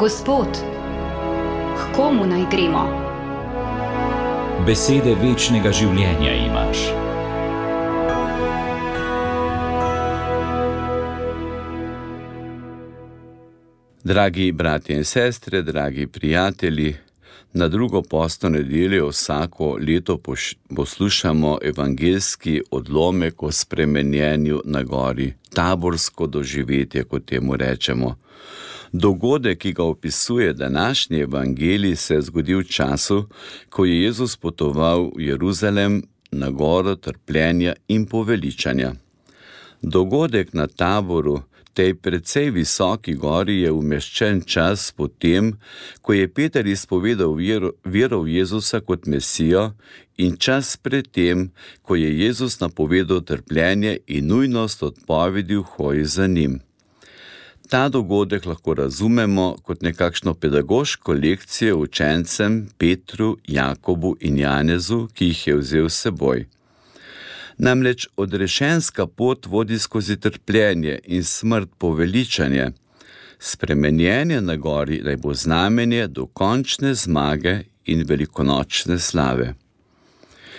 Gospod, k komu naj gremo? Besede večnega življenja imaš. Dragi bratje in sestre, dragi prijatelji, na drugo postno nedeljo vsako leto poslušamo evangeljski odlomek o spremenjenju na gori, taborsko doživetje, kot temu rečemo. Dogodek, ki ga opisuje današnji evangelij, se je zgodil v času, ko je Jezus potoval v Jeruzalem na goro trpljenja in poveličanja. Dogodek na Taboru, tej precej visoki gori, je umeščen čas potem, ko je Peter izpovedal vero v Jezusa kot Mesijo, in čas pred tem, ko je Jezus napovedal trpljenje in nujnost odpovedi v hoji za njim. Ta dogodek lahko razumemo kot nekakšno pedagoško lekcijo učencem Petru, Jakobu in Janezu, ki jih je vzel s seboj. Namreč odrešenska pot vodi skozi trpljenje in smrt poveličanje. Spremenjenje na gori naj bo znamenje dokončne zmage in velikonočne slave.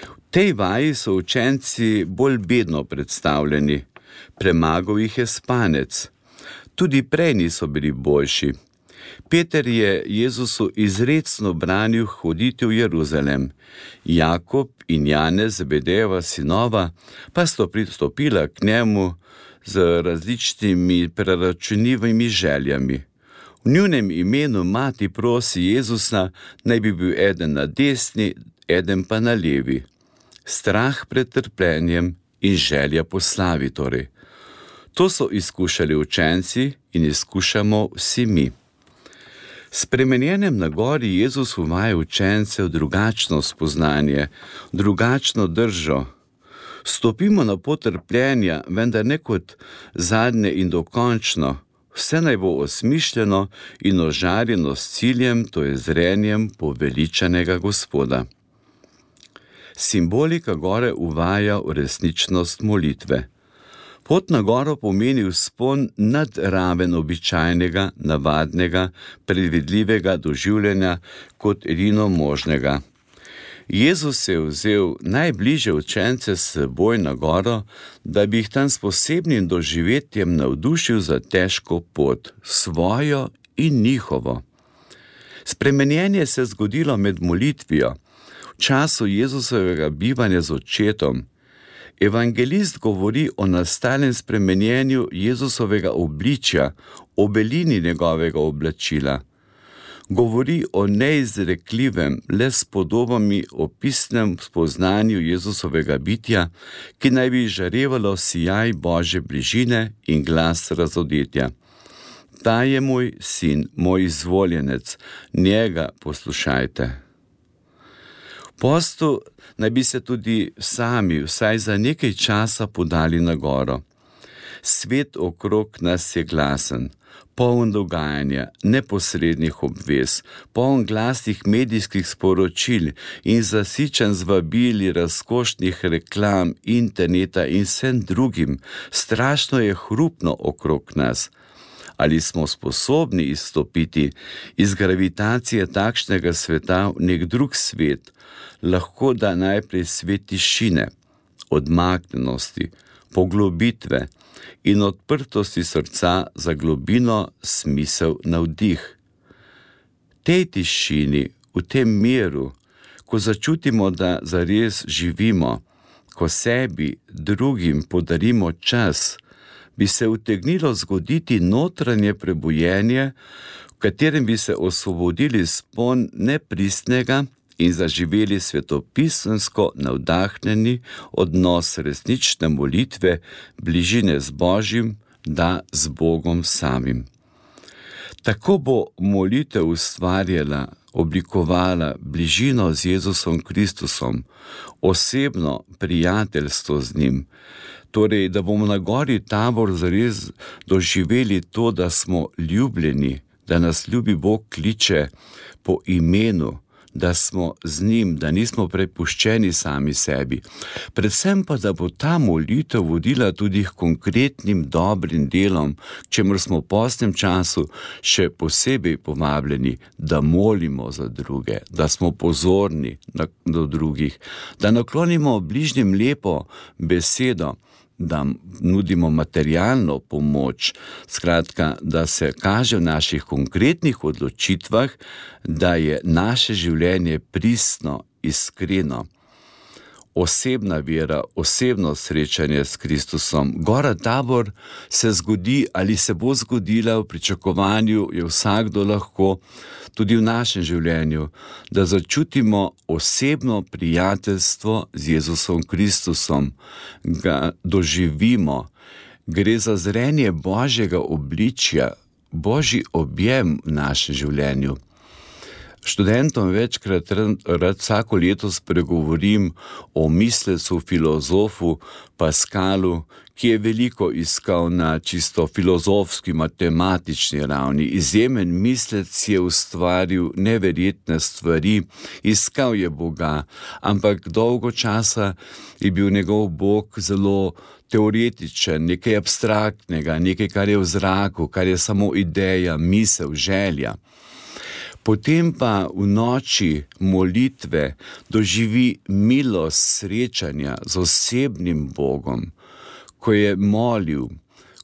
V tej vaji so učenci bolj bedno predstavljeni. Premagal jih je spanec. Tudi prej niso bili boljši. Peter je Jezusu izrecno branil hoditi v Jeruzalem. Jakob in Janez, Zebedejeva sinova, pa sta pristopila k njemu z različnimi preračunljivimi željami. V njunem imenu mati prosi Jezusa, naj bi bil eden na desni, eden pa na levi. Strah pred trpljenjem in želja po slavi torej. To so izkušali učenci in izkušamo vsi mi. S spremenjenjem na gori Jezus uvaja učence v drugačno spoznanje, drugačno držo. Stopimo na pot trpljenja, vendar ne kot zadnje in dokončno. Vse naj bo osmišljeno in ožarjeno s ciljem, to je zrenjem poveličanega Gospoda. Simbolika gore uvaja v resničnost molitve. Pot na goro pomeni vzpon nad raven običajnega, navadnega, predvidljivega doživljanja kot edino možnega. Jezus je vzel najbližje učence s seboj na goro, da bi jih tam s posebnim doživetjem navdušil za težko pot, svojo in njihovo. Spremenjenje se je zgodilo med molitvijo, v času Jezusovega bivanja z očetom. Evangelist govori o nastalem spremenjenju Jezusovega obličja, o belini njegovega oblačila. Govori o neizrekljivem, le s podobami opisnem spoznanju Jezusovega bitja, ki naj bi žarevalo sijaj Božje bližine in glas razodetja. Ta je moj sin, moj izvoljenec, njega poslušajte. V postu naj bi se tudi sami vsaj za nekaj časa podali na goro. Svet okrog nas je glasen, poln dogajanja, neposrednih obvez, poln glasnih medijskih sporočil in zasičen z vabili razkošnih reklam, interneta in vsem drugim. Strašno je hrupno okrog nas. Ali smo sposobni izstopiti iz gravitacije takšnega sveta v nek drug svet, lahko da najprej svet tišine, odmaknjenosti, poglobitve in odprtosti srca za globino, smisel, navdih. Tej tišini, v tem miru, ko začutimo, da zares živimo, ko sebi, drugim podarimo čas, bi se utegnilo zgoditi notranje prebujenje, v katerem bi se osvobodili spon nepristnega in zaživeli svetopisemsko navdahnjeni odnos resnične molitve, bližine z Božjim, da z Bogom samim. Tako bo molitev ustvarjala, oblikovala bližino z Jezusom Kristusom, osebno prijateljstvo z njim, torej, da bomo na gori Tabor zares doživeli to, da smo ljubljeni, da nas ljubi Bog kliče po imenu, da smo z njim, da nismo prepuščeni sami sebi. Predvsem pa, da bo ta molitev vodila tudi k konkretnim dobrim delom, čemur smo v postnem času še posebej povabljeni, da molimo za druge, da smo pozorni do drugih, da naklonimo bližnjim lepo besedo, da nudimo materialno pomoč, skratka, da se kaže v naših konkretnih odločitvah, da je naše življenje pristno, iskreno. Osebna vera, osebno srečanje s Kristusom. Gora Tabor se zgodi ali se bo zgodila, v pričakovanju je vsakdo lahko, tudi v našem življenju, da začutimo osebno prijateljstvo z Jezusom Kristusom, ga doživimo. Gre za zrenje Božjega obličja, Božji objem v našem življenju. Študentom večkrat rad vsako leto spregovorim o mislecu, filozofu Pascalu, ki je veliko iskal na čisto filozofski, matematični ravni. Izjemen mislec je ustvaril neverjetne stvari, iskal je Boga, ampak dolgo časa je bil njegov Bog zelo teoretičen, nekaj abstraktnega, nekaj, kar je v zraku, kar je samo ideja, misel, želja. Potem pa v noči molitve doživi milost srečanja z osebnim Bogom, ko je molil,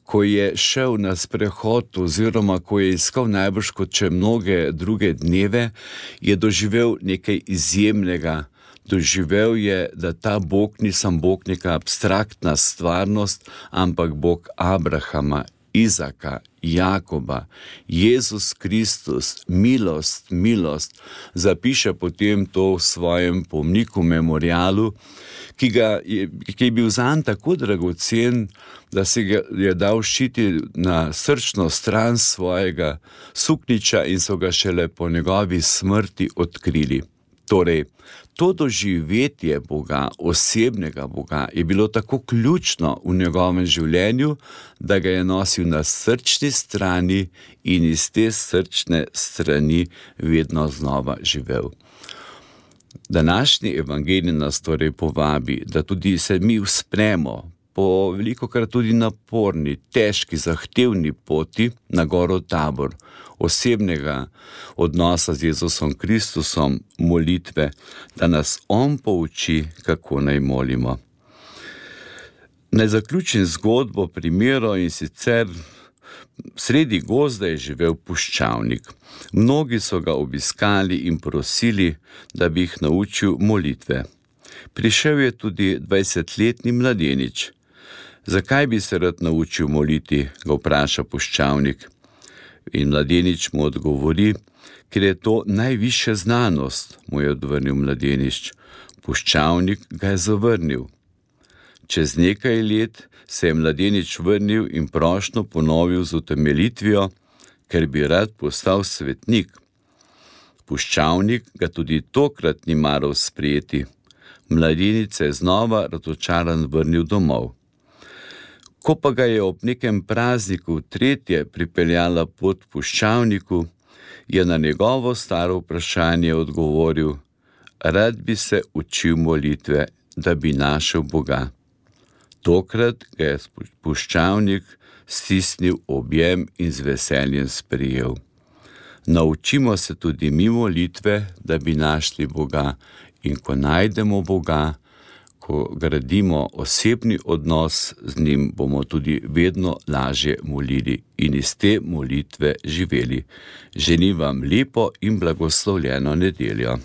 ko je šel na sprehod oziroma ko je iskal najbrž kot če mnoge druge dneve, je doživel nekaj izjemnega. Doživel je, da ta Bog ni sam Bog neka abstraktna stvarnost, ampak Bog Abrahama, Izaka, Jakoba, Jezus Kristus, milost, zapiše potem to v svojem pomniku, memorialu, ki je bil zanj tako dragocen, da se ga je dal ščiti na srčno stran svojega suknjiča in so ga šele po njegovi smrti odkrili. Torej, to doživetje Boga, osebnega Boga, je bilo tako ključno v njegovem življenju, da ga je nosil na srčni strani in iz te srčne strani vedno znova živel. Današnji evangelij nas torej povabi, da tudi se mi vzpremo po velikokrat tudi naporni, težki, zahtevni poti na goro Tabor, osebnega odnosa z Jezusom Kristusom, molitve, da nas On pouči, kako naj molimo. Naj zaključim zgodbo, primero, in sicer sredi gozda je živel puščavnik. Mnogi so ga obiskali in prosili, da bi jih naučil molitve. Prišel je tudi 20-letni mladenič. Zakaj bi se rad naučil moliti, ga vpraša puščavnik. In mladenič mu odgovori, ker je to najvišja znanost, mu je odvrnil mladenič. Puščavnik ga je zavrnil. Čez nekaj let se je mladenič vrnil in prošnjo ponovil z utemeljitvijo, ker bi rad postal svetnik. Puščavnik ga tudi tokrat ni maral sprejeti. Mladenič se je znova razočaran vrnil domov. Ko pa ga je ob nekem prazniku tretje pripeljala pot puščavniku, je na njegovo staro vprašanje odgovoril: rad bi se učil molitve, da bi našel Boga. Tokrat ga je puščavnik stisnil objem in z veseljem sprejel. Naučimo se tudi mi molitve, da bi našli Boga, in ko najdemo Boga, ko gradimo osebni odnos z njim, bomo tudi vedno lažje molili in iz te molitve živeli. Želim vam lepo in blagoslovljeno nedeljo.